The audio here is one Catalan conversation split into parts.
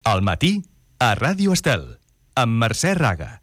Al matí, a Ràdio Estel, amb Mercè Raga.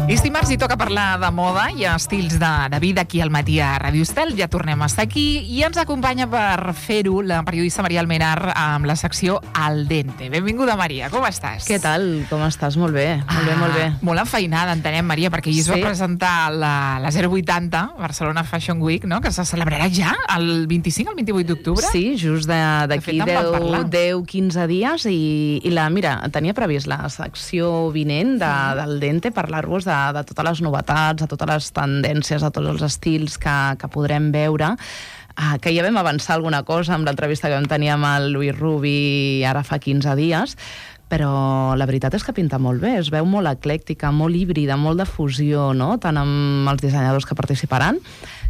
És dimarts i toca parlar de moda i estils de vida aquí al matí a Ràdio Estel. Ja tornem a estar aquí i ens acompanya per fer-ho la periodista Maria Almenar amb la secció Al Dente. Benvinguda, Maria, com estàs? Què tal? Com estàs? Molt bé, molt bé. Molt enfeinada, entenem, Maria, perquè ahir es va presentar la 080 Barcelona Fashion Week, no?, que se celebrarà ja el 25 al 28 d'octubre. Sí, just d'aquí 10-15 dies i mira, tenia previst la secció vinent del Dente, parlar-vos de totes les novetats, de totes les tendències, de tots els estils que podrem veure, que ja vam avançar alguna cosa amb l'entrevista que vam tenir amb el Lluís Rubi ara fa 15 dies, però la veritat és que pinta molt bé, es veu molt eclèctica, molt híbrida, molt de fusió, no?, tant amb els dissenyadors que participaran,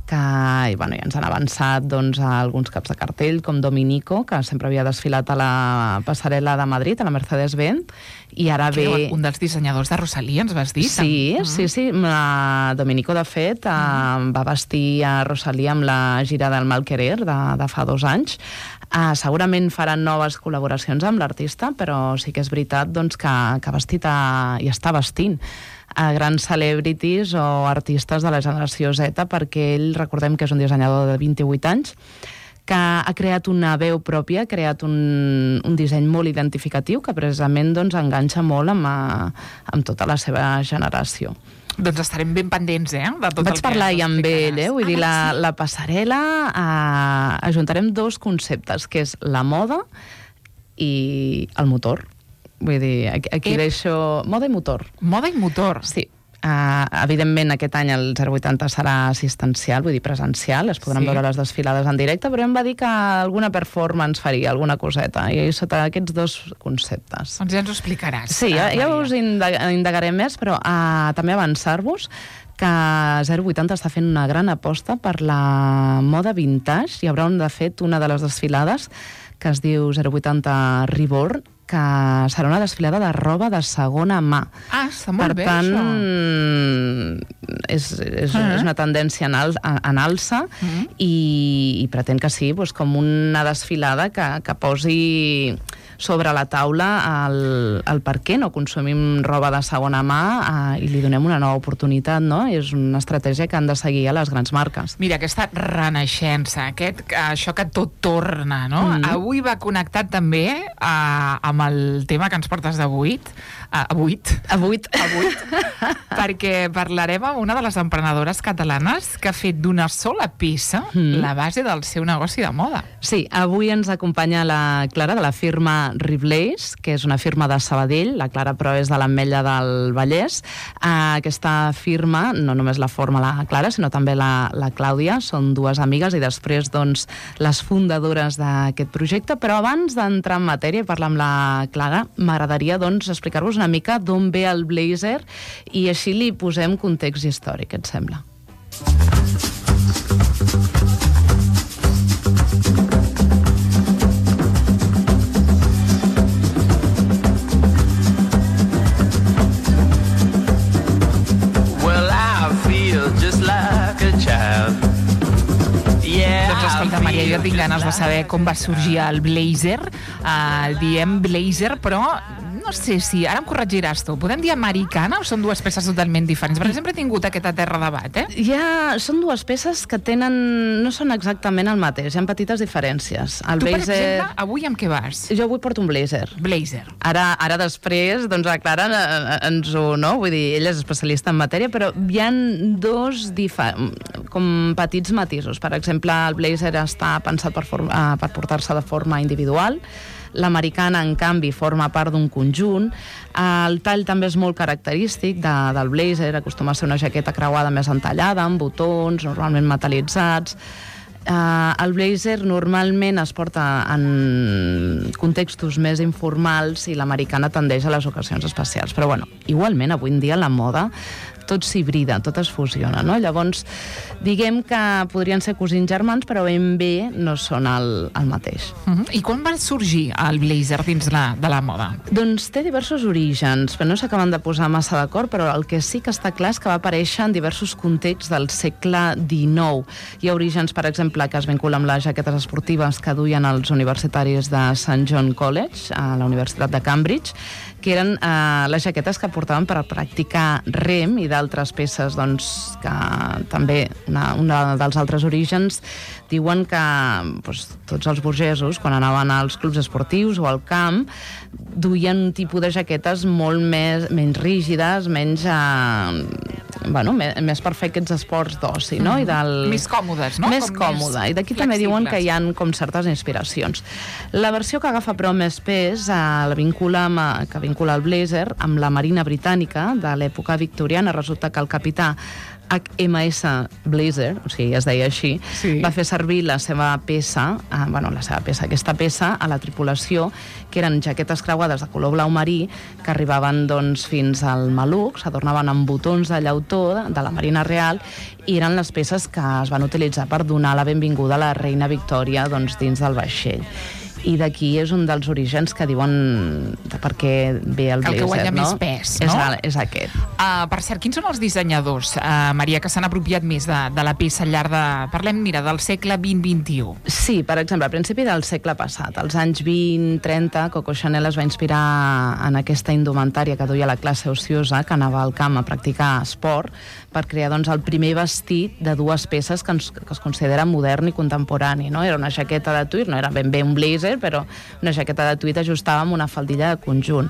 que ja ens han avançat alguns caps de cartell, com Dominico, que sempre havia desfilat a la passarel·la de Madrid, a la Mercedes-Benz, i ara ve... Un dels dissenyadors de Rosalía, ens vas dir? Sí. Dominico, de fet, va vestir a Rosalía amb la gira del Mal Querer de fa 2 anys. Segurament faran noves col·laboracions amb l'artista, però sí que és veritat que ha vestit i està vestint a grans celebrities o artistes de la generació Z, perquè ell, recordem que és un dissenyador de 28 anys, que ha creat una veu pròpia, ha creat un disseny molt identificatiu que precisament enganxa molt amb tota la seva generació. Doncs estarem ben pendents, de tot el que... Vaig parlar ja amb ell, vull dir, la passarel·la, ajuntarem 2 conceptes, que és la moda i el motor. Vull dir, aquí deixo... Moda i motor. Moda i motor. Sí. Evidentment, aquest any el 080 serà assistencial, vull dir, presencial, es podran veure les desfilades en directe, però em va dir que alguna performance faria, alguna coseta, i sota aquests 2 conceptes. Doncs ja ens ho explicaràs. Sí, ja us indagaré més, però també avançar-vos que 080 està fent una gran aposta per la moda vintage. Hi haurà, de fet, una de les desfilades que es diu 080 Reborn, que serà una desfilada de roba de segona mà. Està molt bé, això. Per tant, és una tendència en alça i pretén que sigui com una desfilada que posi sobre la taula el per què no consumim roba de segona mà i li donem una nova oportunitat, no? És una estratègia que han de seguir a les grans marques. Mira, aquesta renaixença, això que tot torna, no? Avui va connectat també amb el tema que ens portes d'avui, perquè parlarem amb una de les emprenedores catalanes que ha fet d'una sola peça la base del seu negoci de moda. Sí, avui ens acompanya la Clara de la firma Riblaze, que és una firma de Sabadell. La Clara, però, és de l'Ametlla del Vallès. Aquesta firma, no només la forma la Clara, sinó també la Clàudia, són 2 amigues i després, les fundadores d'aquest projecte. Però abans d'entrar en matèria i parlar amb la Clara, m'agradaria, explicar-vos una mica d'on ve el blazer i així li posem context històric, et sembla? Escolta, Maria, jo tinc ganes de saber com va sorgir el blazer. Diem blazer, però no sé si... Ara em corregiràs tu. Podem dir americana o són 2 peces totalment diferents? Perquè sempre he tingut aquest terra debat, Són 2 peces que no són exactament el mateix. Hi ha petites diferències. Tu, per exemple, avui amb què vas? Jo avui porto un blazer. Blazer. Ara després, la Clara ens ho... No? Vull dir, ella és especialista en matèria, però hi ha 2 com petits matisos. Per exemple, el blazer està pensat per portar-se de forma individual. L'americana, en canvi, forma part d'un conjunt. El tall també és molt característic del blazer, acostuma a ser una jaqueta creuada més entallada, amb botons, normalment metal·litzats. El blazer normalment es porta en contextos més informals i l'americana tendeix a les ocasions especials. Però, igualment, avui en dia la moda tot s'hibrida, tot es fusiona, no? Llavors, diguem que podrien ser cosins germans, però ben bé no són el mateix. I quan va sorgir el blazer dins de la moda? Doncs té diversos orígens, però no s'acaben de posar massa d'acord, però el que sí que està clar és que va aparèixer en diversos contexts del segle XIX. Hi ha orígens, per exemple, que es vinculen amb les jaquetes esportives que duien els universitaris de St. John College, a la Universitat de Cambridge, que eren les jaquetes que portaven per practicar rem i d'altres peces, doncs, que també, un dels altres orígens, diuen que tots els burgesos, quan anaven als clubs esportius o al camp, duien un tipus de jaquetes molt menys rígides, menys per fer aquests esports d'oci, no? Més còmodes, no? Més còmode. I d'aquí també diuen que hi ha com certes inspiracions. La versió que agafa però més pes que vincula el blazer amb la Marina Britànica de l'època victoriana. Resulta que el capità HMS Blazer, o sigui, es deia així, va fer servir la seva peça, aquesta peça a la tripulació, que eren jaquetes creuades de color blau marí, que arribaven doncs, fins al maluc, s'adornaven amb botons de llautó de la Marina Real, i eren les peces que es van utilitzar per donar la benvinguda a la reina Victòria doncs, dins del vaixell. I d'aquí és un dels orígens que diuen de per què ve el blazer, el que guanya més pes, no? És aquest. Per cert, quins són els dissenyadors, Maria, que s'han apropiat més de la peça al llarg de... Parlem, del segle XX-XXI. Sí, per exemple, a principi del segle passat, als anys 20-30, Coco Chanel es va inspirar en aquesta indumentària que duia la classe ociosa, que anava al camp a practicar esport, per crear doncs, el primer vestit de dues peces que es considera modern i contemporani, no? Era una jaqueta de tuit, no era ben bé un blazer, però una jaqueta de tuit ajustada amb una faldilla de conjunt.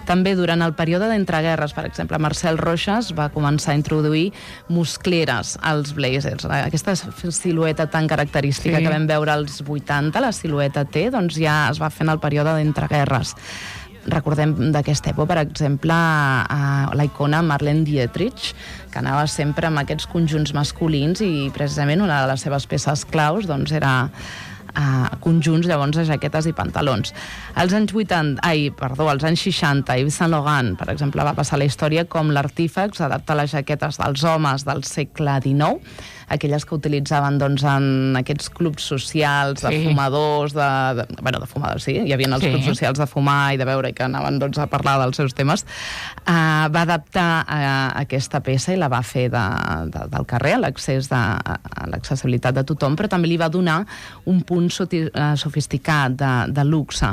També durant el període d'entreguerres, per exemple, Marcel Roches va començar a introduir muscleres als blazers. Aquesta silueta tan característica que vam veure als 80, la silueta T, doncs ja es va fer en el període d'entreguerres. Recordem d'aquesta època, per exemple, la icona Marlene Dietrich, que anava sempre amb aquests conjunts masculins i precisament una de les seves peces claus doncs, era conjunts llavors de jaquetes i pantalons. Als anys 60, Yves Saint Laurent, per exemple, va passar la història com l'artífex adapta les jaquetes dels homes del segle XIX, aquelles que utilitzaven doncs, en aquests clubs socials de fumadors, de fumadors, sí, hi havia els clubs socials de fumar i de beure i que anaven doncs, a parlar dels seus temes, va adaptar aquesta peça i la va fer del carrer, a l'accessibilitat de tothom, però també li va donar un punt sofisticat de luxe.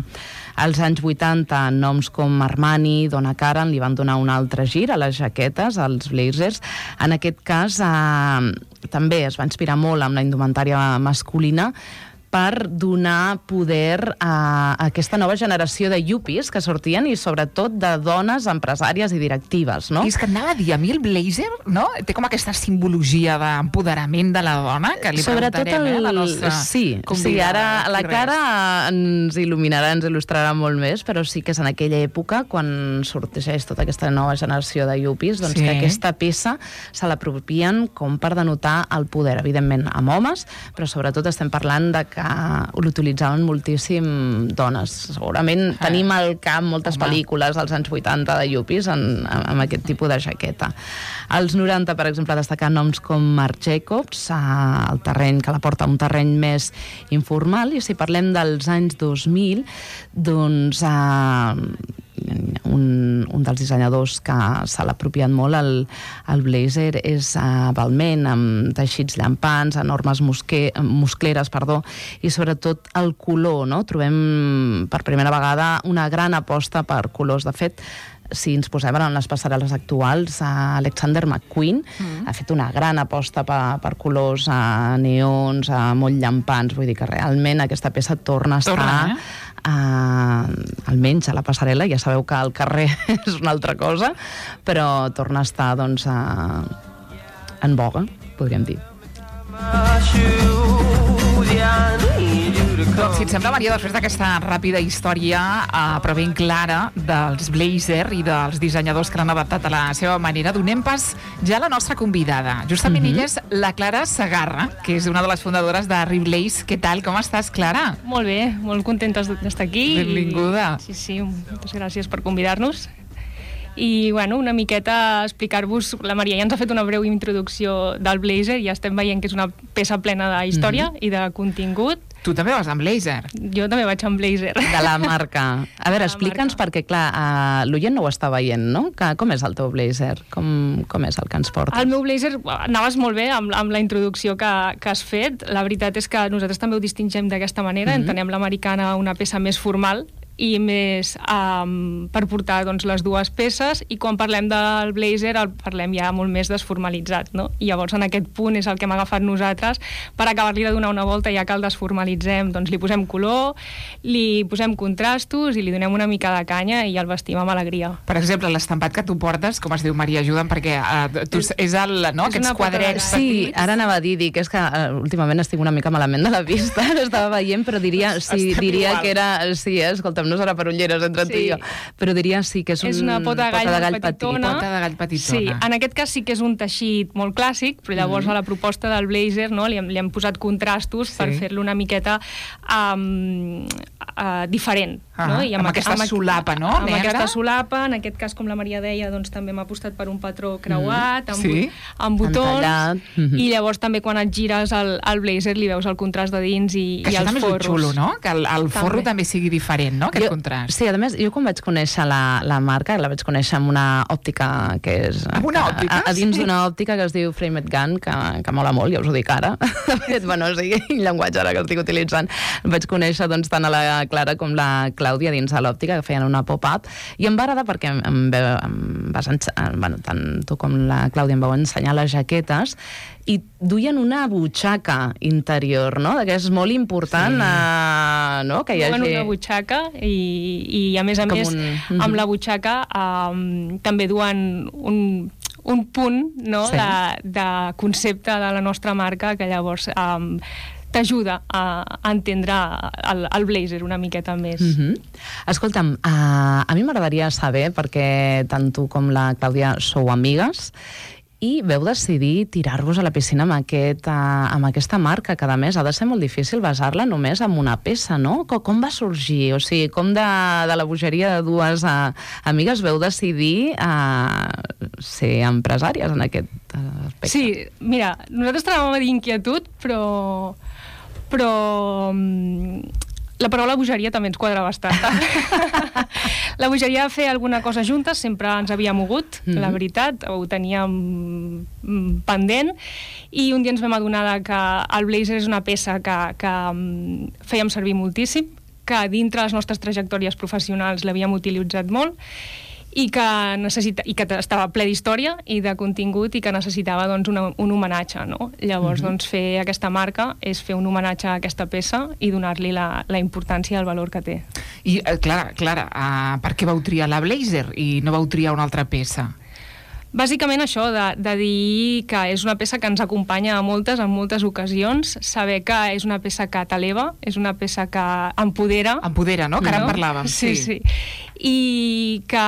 Als anys 80, noms com Armani, Donna Karan li van donar un altre gir a les jaquetes, als blazers. En aquest cas, també es va inspirar molt amb la indumentària masculina per donar poder a aquesta nova generació de yuppies que sortien i sobretot de dones empresàries i directives, no? I és que anava a dir, a mi el blazer, no? Té com aquesta simbologia d'empoderament de la dona, que li preguntarem, la nostra convidada. Sí, ara la Clara ens il·luminarà, ens il·lustrarà molt més, però sí que és en aquella època, quan sorgeix tota aquesta nova generació de yuppies, doncs que aquesta peça se l'apropien com per denotar el poder, evidentment amb homes, però sobretot estem parlant de que l'utilitzaven moltíssim dones. Segurament tenim al camp moltes pel·lícules dels anys 80 de yuppies amb aquest tipus de jaqueta. Als 90, per exemple, destacar noms com Marc Jacobs, el terreny que la porta a un terreny més informal, i si parlem dels anys 2000, doncs un dels dissenyadors que se l'ha apropiat molt el blazer és Balmain, amb teixits llampants, enormes muscleres, i sobretot el color, no? Trobem per primera vegada una gran aposta per colors. De fet, si ens posem en les passarel·les actuals, Alexander McQueen ha fet una gran aposta per colors neons, molt llampants. Vull dir que realment aquesta peça torna a estar almenys a la passarel·la. Ja sabeu que al carrer és una altra cosa, però torna a estar doncs, en boga, podríem dir. Doncs, si et sembla, Maria, després d'aquesta ràpida història, però ben clara, dels blazer i dels dissenyadors que l'han adaptat a la seva manera, donem pas ja a la nostra convidada. Justament ella és la Clara Segarra, que és una de les fundadores de Reblaze. Què tal? Com estàs, Clara? Molt bé, molt contenta d'estar aquí. Benvinguda. Sí, moltes gràcies per convidar-nos. I, bueno, una miqueta explicar-vos... La Maria ja ens ha fet una breu introducció del blazer i ja estem veient que és una peça plena de història i de contingut. Tu també vas amb blazer. Jo també vaig amb blazer. De la marca. A veure, explica'ns, perquè, clar, l'oient no ho està veient, no? Com és el teu blazer? Com és el que ens portes? El meu blazer, anaves molt bé amb la introducció que has fet. La veritat és que nosaltres també ho distingem d'aquesta manera. Entenem l'americana una peça més formal i més per portar doncs, les dues peces, i quan parlem del blazer el parlem ja molt més desformalitzat, no? I llavors en aquest punt és el que hem agafat nosaltres per acabar-li de donar una volta, ja que el desformalitzem, doncs li posem color, li posem contrastos i li donem una mica de canya i el vestim amb alegria. Per exemple, l'estampat que tu portes, com es diu, Maria, ajuda'm, perquè és aquests quadrets. Sí, ara anava a dir, dic, és que últimament estic una mica malament de la vista, estava veient, però diria que era... Sí, escolta'm, no serà per ulleres entre tu i jo, però diria sí que és una pota de gall petitona. Pota de gall petitona. Sí, en aquest cas sí que és un teixit molt clàssic, però llavors a la proposta del blazer, no, li hem posat contrastos per fer-lo una miqueta diferent. No? I amb aquesta solapa, no? Amb aquesta solapa, en aquest cas, com la Maria deia, doncs també m'ha apostat per un patró creuat, amb botons, i llavors també quan et gires el blazer li veus el contrast de dins i els forros. Que això també és xulo, no? Que el forro també sigui diferent, no? Aquest contrast. Sí, a més, jo quan vaig conèixer la marca, la vaig conèixer amb una òptica que és... Amb una òptica? A dins d'una òptica que es diu Frame It Gun, que mola molt, ja us ho dic ara. De fet, bueno, o sigui, el llenguatge ara que estic utilitzant. Vaig conèixer doncs tant a la Clara com la Clàudia dins de l'òptica, que feien una pop-up, i em va agradar perquè tant tu com la Clàudia em vau ensenyar les jaquetes i duien una butxaca interior, no? Que és molt important, no? Que hi hagi... una butxaca i a més, amb la butxaca també duen un punt, no? De concepte de la nostra marca que llavors t'ajuda a entendre el blazer una miqueta més. Escolta'm, a mi m'agradaria saber, perquè tant tu com la Clàudia sou amigues, i veu decidir tirar-vos a la piscina amb aquesta marca, que a més ha de ser molt difícil basar-la només en una peça, no? Com va sorgir? O sigui, com de la bogeria de dues amigues veu decidir ser empresàries en aquest aspecte? Sí, mira, nosaltres teníem d'inquietud, però la paraula bogeria també ens quadra bastant. La bogeria de fer alguna cosa juntes sempre ens havia mogut, la veritat, ho teníem pendent, i un dia ens vam adonar que el blazer és una peça que fèiem servir moltíssim, que dintre les nostres trajectòries professionals l'havíem utilitzat molt, i que estava ple d'història i de contingut i que necessitava doncs, un homenatge, no? Llavors doncs, fer aquesta marca és fer un homenatge a aquesta peça i donar-li la importància i el valor que té. I, Clara, per què vau triar la blazer i no vau triar una altra peça? Bàsicament això, de dir que és una peça que ens acompanya en moltes ocasions, saber que és una peça que t'eleva, és una peça que empodera. Empodera, no? Que ara en parlàvem. Sí. I que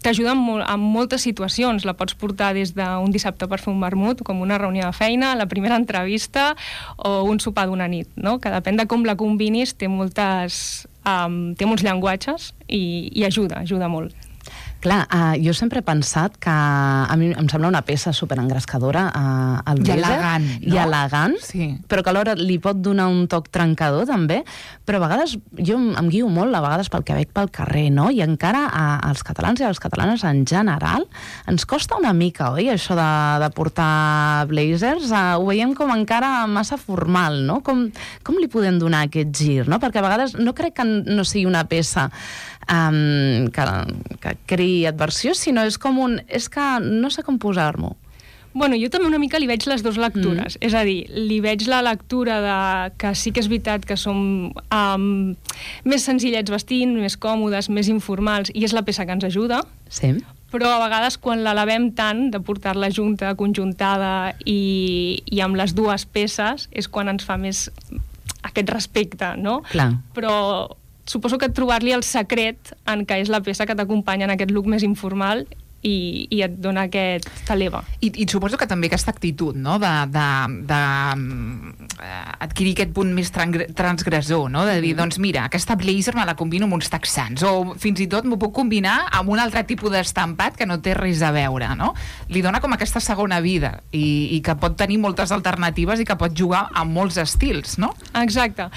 t'ajuda en moltes situacions. La pots portar des d'un dissabte per fer un vermut, com una reunió de feina, la primera entrevista o un sopar d'una nit, no? Que depèn de com la combinis, té molts llenguatges i ajuda molt. Clar, jo sempre he pensat que a mi em sembla una peça superengrescadora al blazer. I elegant, no? I elegant, sí. Però que alhora li pot donar un toc trencador, també. Però a vegades, jo em guio molt, a vegades pel que veig pel carrer, no? I encara als catalans i a les catalanes en general ens costa una mica, oi, això de portar blazers? Ho veiem com encara massa formal, no? Com li podem donar aquest gir, no? Perquè a vegades no crec que no sigui una peça que creï adversió, sinó és com és que no sé com posar-m'ho. Bueno, jo també una mica li veig les dues lectures. És a dir, li veig la lectura que sí que és veritat que som més senzillets vestint, més còmodes, més informals, i és la peça que ens ajuda. Sí. Però a vegades quan l'elevem tant, de portar-la junta, conjuntada i amb les dues peces, és quan ens fa més aquest respecte, no? Clar. Però suposo que trobar-li el secret en què és la peça que t'acompanya en aquest look més informal i et dona t'eleva. I suposo que també aquesta actitud, no?, de adquirir aquest punt més transgressor, no? De dir, doncs mira, aquesta blazer me la combino amb uns texans, o fins i tot m'ho puc combinar amb un altre tipus d'estampat que no té res a veure, no? Li dona com aquesta segona vida i que pot tenir moltes alternatives i que pot jugar amb molts estils, no? Exacte.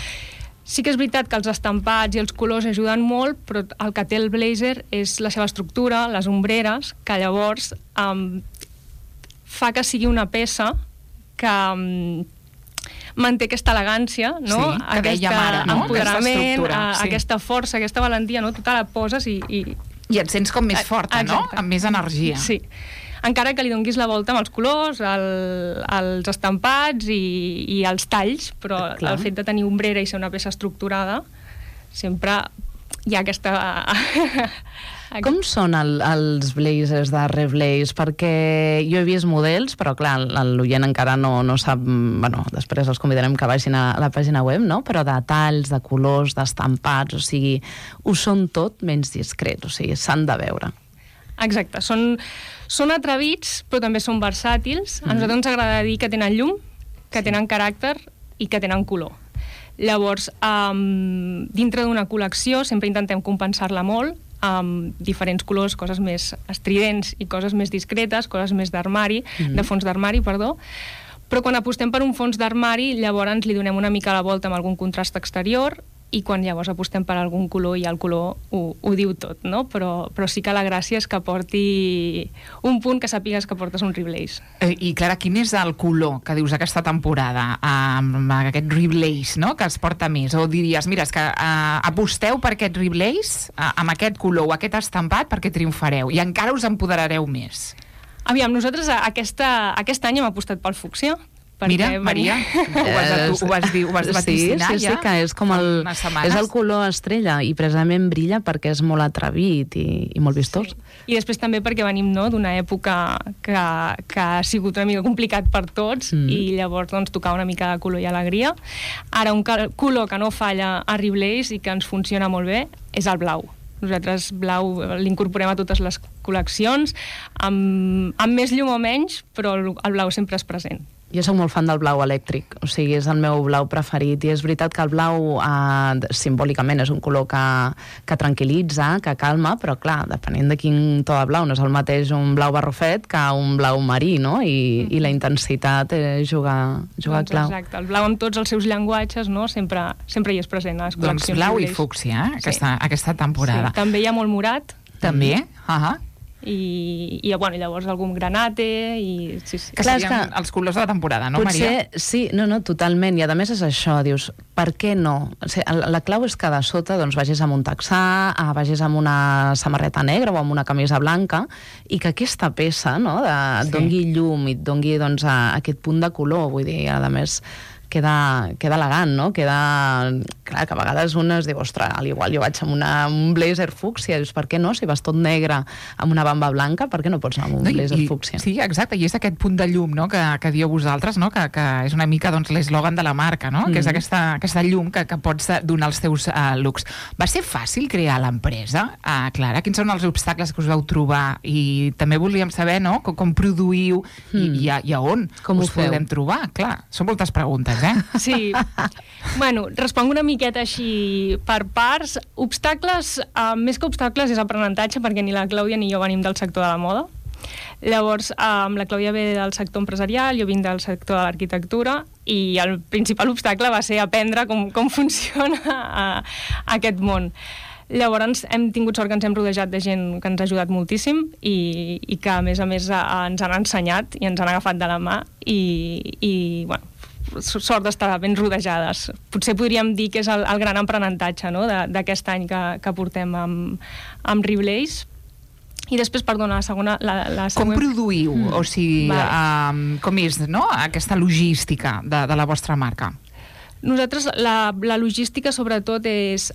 Sí que és veritat que els estampats i els colors ajuden molt, però el que té el blazer és la seva estructura, les ombreres, que llavors fa que sigui una peça que manté aquesta elegància, no? Sí, que dèiem ara, no? Empoderament, aquesta força, aquesta valentia, no? Tu te la poses i et sents com més forta, no? Amb més energia. Sí. Encara que li donguis la volta amb els colors, els estampats i els talls, però el fet de tenir ombrera i ser una peça estructurada, sempre hi ha aquesta... Com són els blazers de Reblaze? Perquè jo he vist models, però clar, l'oient encara no sap... Bueno, després els convidarem que vagin a la pàgina web, no? Però de talls, de colors, d'estampats, o sigui, ho són tot menys discrets, o sigui, s'han de veure. Exacte, són atrevits, però també són versàtils. A nosaltres ens agrada dir que tenen llum, que tenen caràcter i que tenen color. Llavors, dintre d'una col·lecció sempre intentem compensar-la molt amb diferents colors, coses més estridents i coses més discretes, coses més d'armari, de fons d'armari, perdó. Però quan apostem per un fons d'armari, llavors li donem una mica la volta amb algun contrast exterior, i quan llavors apostem per algun color, i el color ho diu tot, no? Però sí que la gràcia és que porti un punt que sàpigues que portes un Reblaze. I Clara, quin és el color que dius aquesta temporada amb aquest Reblaze, no? Que es porta més? O diries, mira, és que aposteu per aquest Reblaze amb aquest color o aquest estampat perquè triomfareu i encara us empoderareu més. Aviam, nosaltres aquest any hem apostat pel fúcsia. Mira, Maria, ho vas vaticinar ja. Sí, que és com és el color estrella i precisament brilla perquè és molt atrevit i molt vistós. Sí. I després també perquè venim d'una època que ha sigut una mica complicat per tots i llavors tocar una mica de color i alegria. Ara un color que no falla a Reblaze i que ens funciona molt bé és el blau. Nosaltres blau l'incorporem a totes les col·leccions, amb més llum o menys, però el blau sempre és present. Jo soc molt fan del blau elèctric, o sigui, és el meu blau preferit, i és veritat que el blau simbòlicament és un color que tranquil·litza, que calma, però clar, depenent de quin to de blau, no és el mateix un blau barrufet que un blau marí, no? I la intensitat juga clau. Exacte, el blau amb tots els seus llenguatges, no? Sempre hi és present a les col·leccions. Doncs blau i fúcsia, aquesta temporada. Sí, també hi ha molt morat. També? I llavors algun granate i... Sí. Que serien els colors de la temporada, no, Maria? Potser, sí, no, totalment, i a més és això, dius, per què no? O sigui, la clau és que de sota vagis amb un texà, vagis amb una samarreta negra o amb una camisa blanca, i que aquesta peça et dongui llum i et dongui aquest punt de color, vull dir, a més queda elegant, no? Clar, que a vegades un es diu, ostres, al igual jo vaig amb un blazer fúcsia, dius, per què no? Si vas tot negre amb una bamba blanca, per què no pots anar amb un blazer fúcsia? Sí, exacte, i és aquest punt de llum, no?, que dieu vosaltres, no?, que és una mica l'eslògan de la marca, no?, que és aquesta llum que pots donar als teus looks. Va ser fàcil crear l'empresa, Clara? Quins són els obstacles que us vau trobar? I també volíem saber, no?, com produïu i a on us podem trobar. Clar, són moltes preguntes, Sí. Bueno, responc una miqueta així per parts. Obstacles, més que obstacles, és aprenentatge, perquè ni la Clàudia ni jo venim del sector de la moda. Llavors, la Clàudia ve del sector empresarial, jo vinc del sector de l'arquitectura, i el principal obstacle va ser aprendre com funciona aquest món. Llavors hem tingut sort que ens hem rodejat de gent que ens ha ajudat moltíssim i que a més ens han ensenyat i ens han agafat de la mà i bueno, sort d'estar ben rodejades. Potser podríem dir que és el gran aprenentatge, no?, d'aquest any que portem amb Reblaze. I després, perdona, la següent... Com produïu? O sigui, com és, no?, aquesta logística de la vostra marca? Nosaltres, la logística, sobretot, és...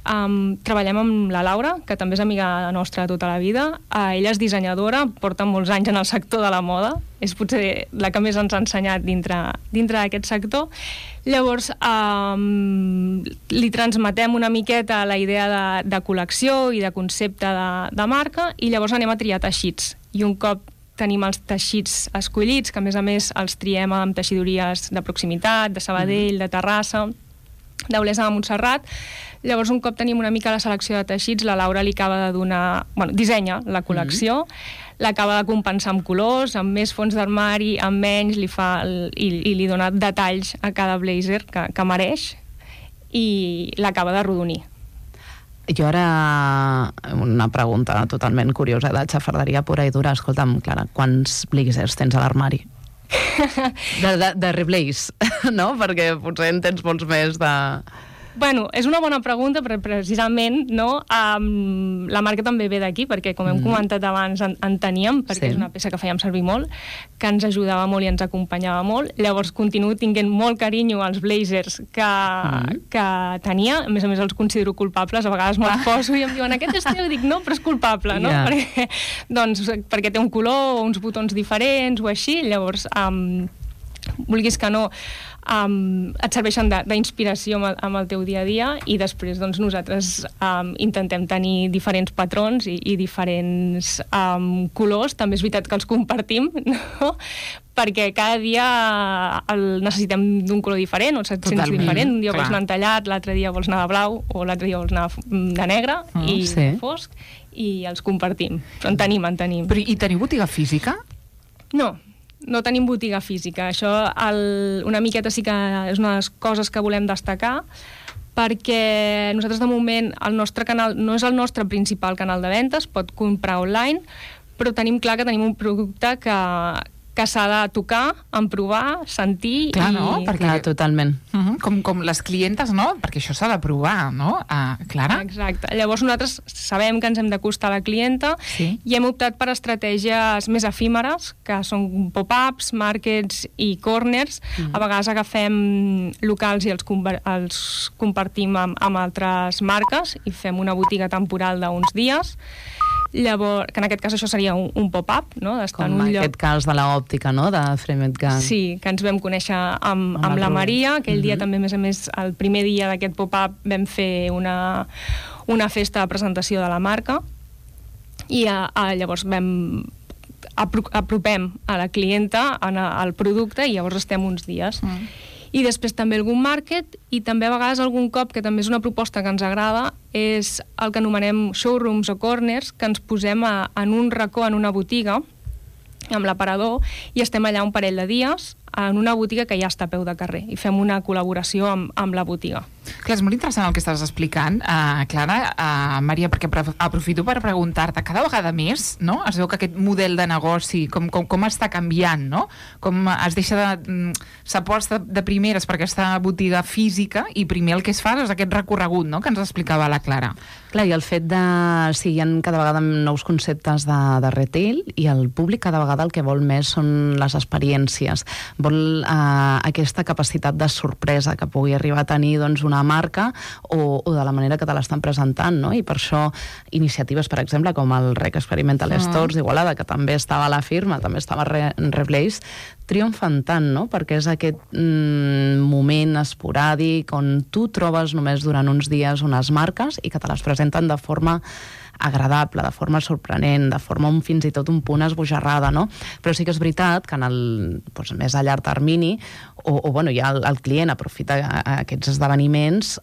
treballem amb la Laura, que també és amiga nostra de tota la vida. Ella és dissenyadora, porta molts anys en el sector de la moda. És potser la que més ens ha ensenyat dintre d'aquest sector. Llavors, li transmetem una miqueta la idea de col·lecció i de concepte de marca, i llavors anem a triar teixits. I un cop tenim els teixits escollits, que a més els triem amb teixidories de proximitat, de Sabadell, de Terrassa, d'Olesa de Montserrat. Llavors, un cop tenim una mica la selecció de teixits, la Laura li acaba de donar... dissenya la col·lecció, l'acaba de compensar amb colors, amb més fons d'armari, amb menys, i li dona detalls a cada blazer que mereix, i l'acaba d'arrodonir. Jo ara, una pregunta totalment curiosa de xafarderia pura i dura. Escolta'm, Clara, quants blazers tens a l'armari? De reblaze, no? Perquè potser en tens molts més de... Bueno, és una bona pregunta, però precisament la marca també ve d'aquí, perquè com hem comentat abans en teníem, perquè és una peça que fèiem servir molt, que ens ajudava molt i ens acompanyava molt. Llavors continuo tinguent molt carinyo als blazers que tenia, a més els considero culpables, a vegades me'ls poso i em diuen aquest estiu, dic no, però és culpable, no? Perquè té un color o uns botons diferents o així, llavors vulguis que no, et serveixen d'inspiració amb el teu dia a dia, i després nosaltres intentem tenir diferents patrons i diferents colors. També és veritat que els compartim, no? Perquè cada dia necessitem d'un color diferent, o et sents diferent. Un dia vols anar entallat, l'altre dia vols anar de blau, o l'altre dia vols anar de negre i fosc, i els compartim. Però en tenim. Però i teniu botiga física? No tenim botiga física. Això una miqueta sí que és una de les coses que volem destacar, perquè nosaltres de moment el nostre canal no és el nostre principal canal de venda, es pot comprar online, però tenim clar que tenim un producte que s'ha de tocar, emprovar, sentir... Clar, no? Perquè totalment. Com les clientes, no? Perquè això s'ha de provar, no? Clara? Exacte. Llavors nosaltres sabem que ens hem d'acostar a la clienta i hem optat per estratègies més efímeres, que són pop-ups, markets i corners. A vegades agafem locals i els compartim amb altres marques i fem una botiga temporal d'uns dies. Llavors, que en aquest cas això seria un pop-up, no? Com en aquest cas de l'òptica, no? De Framed Gang. Sí, que ens vam conèixer amb la Maria. Aquell dia també, a més, el primer dia d'aquest pop-up vam fer una festa de presentació de la marca, i llavors apropem a la clienta al producte, i llavors estem uns dies. I després també algun market, i també a vegades algun cop, que també és una proposta que ens agrada, és el que anomenem showrooms o corners, que ens posem en un racó, en una botiga, amb l'aparador, i estem allà un parell de dies en una botiga que ja està a peu de carrer, i fem una col·laboració amb la botiga. Clar, és molt interessant el que estàs explicant, Clara, Maria, perquè aprofito per preguntar-te, cada vegada més, no? Es veu que aquest model de negoci, com està canviant, no? Com es deixa s'aposta de primeres per aquesta botiga física, i primer el que es fa és aquest recorregut, no?, que ens explicava la Clara. Clar, i el fet de... Sí, hi ha cada vegada nous conceptes de retail, i el públic cada vegada el que vol més són les experiències. Vol aquesta capacitat de sorpresa que pugui arribar a tenir una marca, o de la manera que te l'estan presentant, no? I per això iniciatives, per exemple, com el Rec Experimental Stores d'Igualada, que també estava a la firma, també estava en Reblaze, triomfen tant, no? Perquè és aquest moment esporàdic on tu trobes només durant uns dies unes marques i que te les presenten de forma agradable, de forma sorprenent, de forma fins i tot un punt esbojarrada, no? Però sí que és veritat que més a llarg termini, ja el client aprofita aquests esdeveniments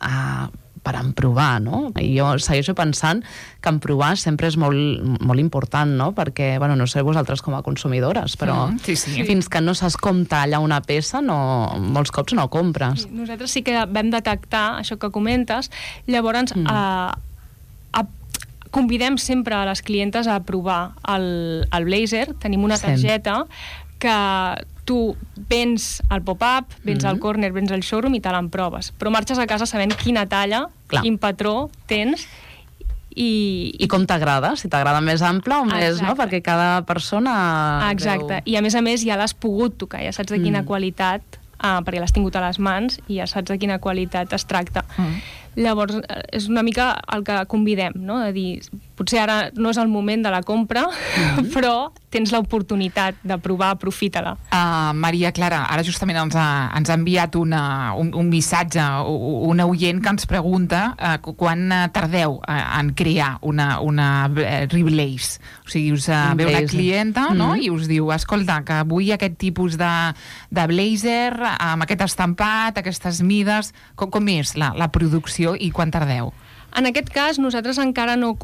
per emprovar, no? I jo segueixo pensant que emprovar sempre és molt important, no? Perquè, no sé vosaltres com a consumidores, però fins que no saps com talla una peça, molts cops no compres. Nosaltres sí que vam detectar això que comentes, llavors convidem sempre a les clientes a provar el blazer. Tenim una targeta que tu vens al pop-up, vens al corner, vens al showroom i te l'emproves. Però marxes a casa sabent quina talla, quin patró tens i com t'agrada, si t'agrada més ample o més, no? Perquè cada persona... Exacte, i a més ja l'has pogut tocar, ja saps de quina qualitat, perquè l'has tingut a les mans i ja saps de quina qualitat es tracta. Llavors, és una mica el que convidem, no? De dir, potser ara no és el moment de la compra, però tens l'oportunitat de provar, aprofita-la. Maria Clara, ara justament ens ha enviat un missatge, una oient que ens pregunta quan tardeu en crear una Reblaze. O sigui, us ve una clienta, no? I us diu, escolta, que vull aquest tipus de blazer amb aquest estampat, aquestes mides. Com és la producció i quan tardeu? En aquest cas, nosaltres encara no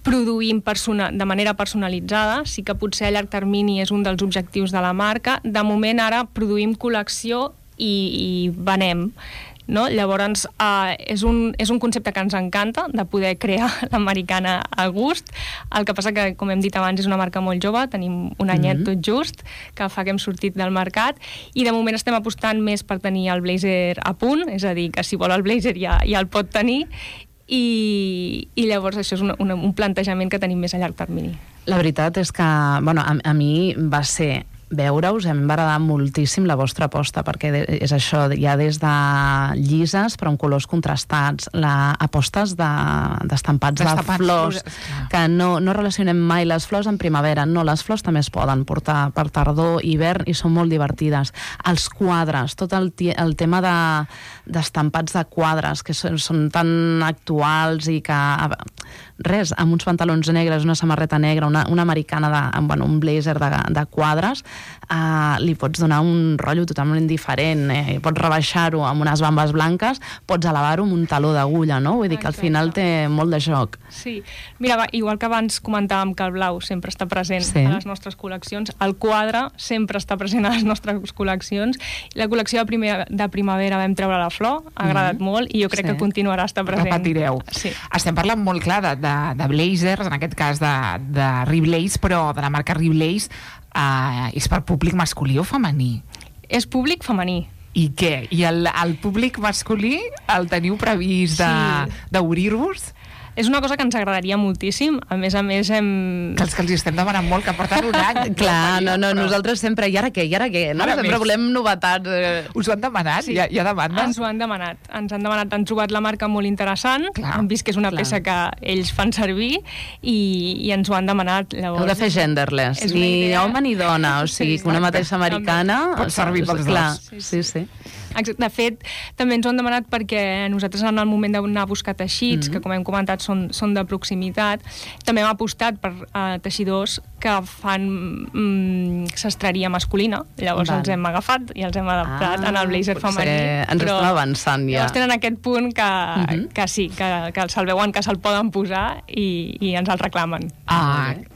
produïm de manera personalitzada, sí que potser a llarg termini és un dels objectius de la marca. De moment ara produïm col·lecció i venem. No? Llavors, és un concepte que ens encanta, de poder crear l'americana a gust. El que passa que, com hem dit abans, és una marca molt jove, tenim un anyet tot just, que fa que hem sortit del mercat, i de moment estem apostant més per tenir el blazer a punt, és a dir, que si vol el blazer ja el pot tenir, i llavors això és un plantejament que tenim més a llarg termini. La veritat és que, bueno, a mi va ser veure-us, em va agradar moltíssim la vostra aposta, perquè és això, ja des de llises però amb colors contrastats, apostes d'estampats de flors, que no relacionem mai les flors amb primavera, no, les flors també es poden portar per tardor, hivern, i són molt divertides. Els quadres, tot el tema d'estampats de quadres, que són tan actuals, i que res, amb uns pantalons negres, una samarreta negra, una americana, un blazer de quadres, li pots donar un rotllo totalment diferent, pots rebaixar-ho amb unes bambes blanques, pots elevar-ho amb un taló d'agulla, no? Vull dir que al final té molt de joc. Sí, mira, igual que abans comentàvem que el blau sempre està present a les nostres col·leccions, el quadre sempre està present a les nostres col·leccions. La col·lecció de primavera vam treure la flor, ha agradat molt, i jo crec que continuarà a estar present. Repetireu. Sí. Estem parlant molt clar de blazers, en aquest cas de Reblaze, però de la marca Reblaze, és per públic masculí o femení? És públic femení. I què? I el públic masculí el teniu previst d'obrir-vos? És una cosa que ens agradaria moltíssim. A més Que els estem demanant molt, que porten un any. Clar, nosaltres sempre, i ara què? No? Sempre volem novetats. Us ho han demanat? Sí. Hi ha demandes? Ens ho han demanat. Han trobat la marca molt interessant, han vist que és una peça que ells fan servir i ens ho han demanat. Llavors, heu de fer genderless, ni home ni dona, o sigui, que una mateixa americana pot servir pels dos. Sí. De fet, també ens ho han demanat perquè nosaltres en el moment d'anar a buscar teixits, que com hem comentat són de proximitat, també hem apostat per teixidors que fan sastreria masculina. Llavors els hem agafat i els hem adaptat en el blazer femení. Ens estem avançant ja. Llavors tenen aquest punt que sí, que se'l veuen que se'l poden posar i ens el reclamen.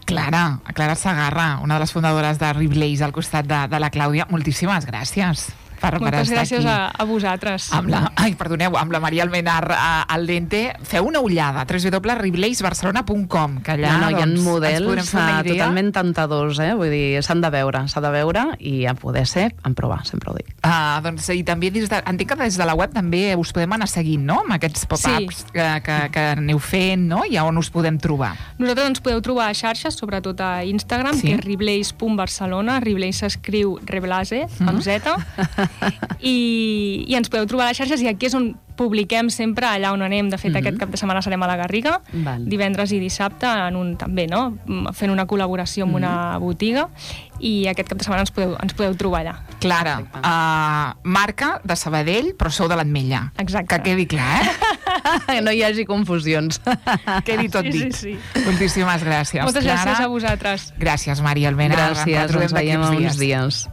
Clara Segarra, una de les fundadores de Reblaze al costat de la Clàudia, moltíssimes gràcies. Moltes gràcies a vosaltres. Amb la Maria Almenar al Dente. Feu una ullada, www.reblazebarcelona.com, que allà hi ha models totalment tentadors, vull dir, s'ha de veure i a poder ser, en provar, sempre ho dic. I també entenc que des de la web també us podem anar seguint, no?, amb aquests pop-ups que aneu fent, no?, i on us podem trobar. Nosaltres ens podeu trobar a xarxes, sobretot a Instagram, que és reblaze.barcelona. Reblaze s'escriu Reblaze, amb Z, i ens podeu trobar a les xarxes, i aquí és on publiquem sempre allà on anem. De fet, aquest cap de setmana serem a la Garriga, divendres i dissabte, també, no?, fent una col·laboració amb una botiga, i aquest cap de setmana ens podeu trobar allà. Clara, marca de Sabadell, però sou de l'Ametlla. Exacte. Que quedi clar, no hi hagi confusions. Quedi tot dit. Sí. Moltíssimes gràcies. Moltes gràcies a vosaltres. Gràcies, Maria Almenar. Gràcies, ens veiem uns dies.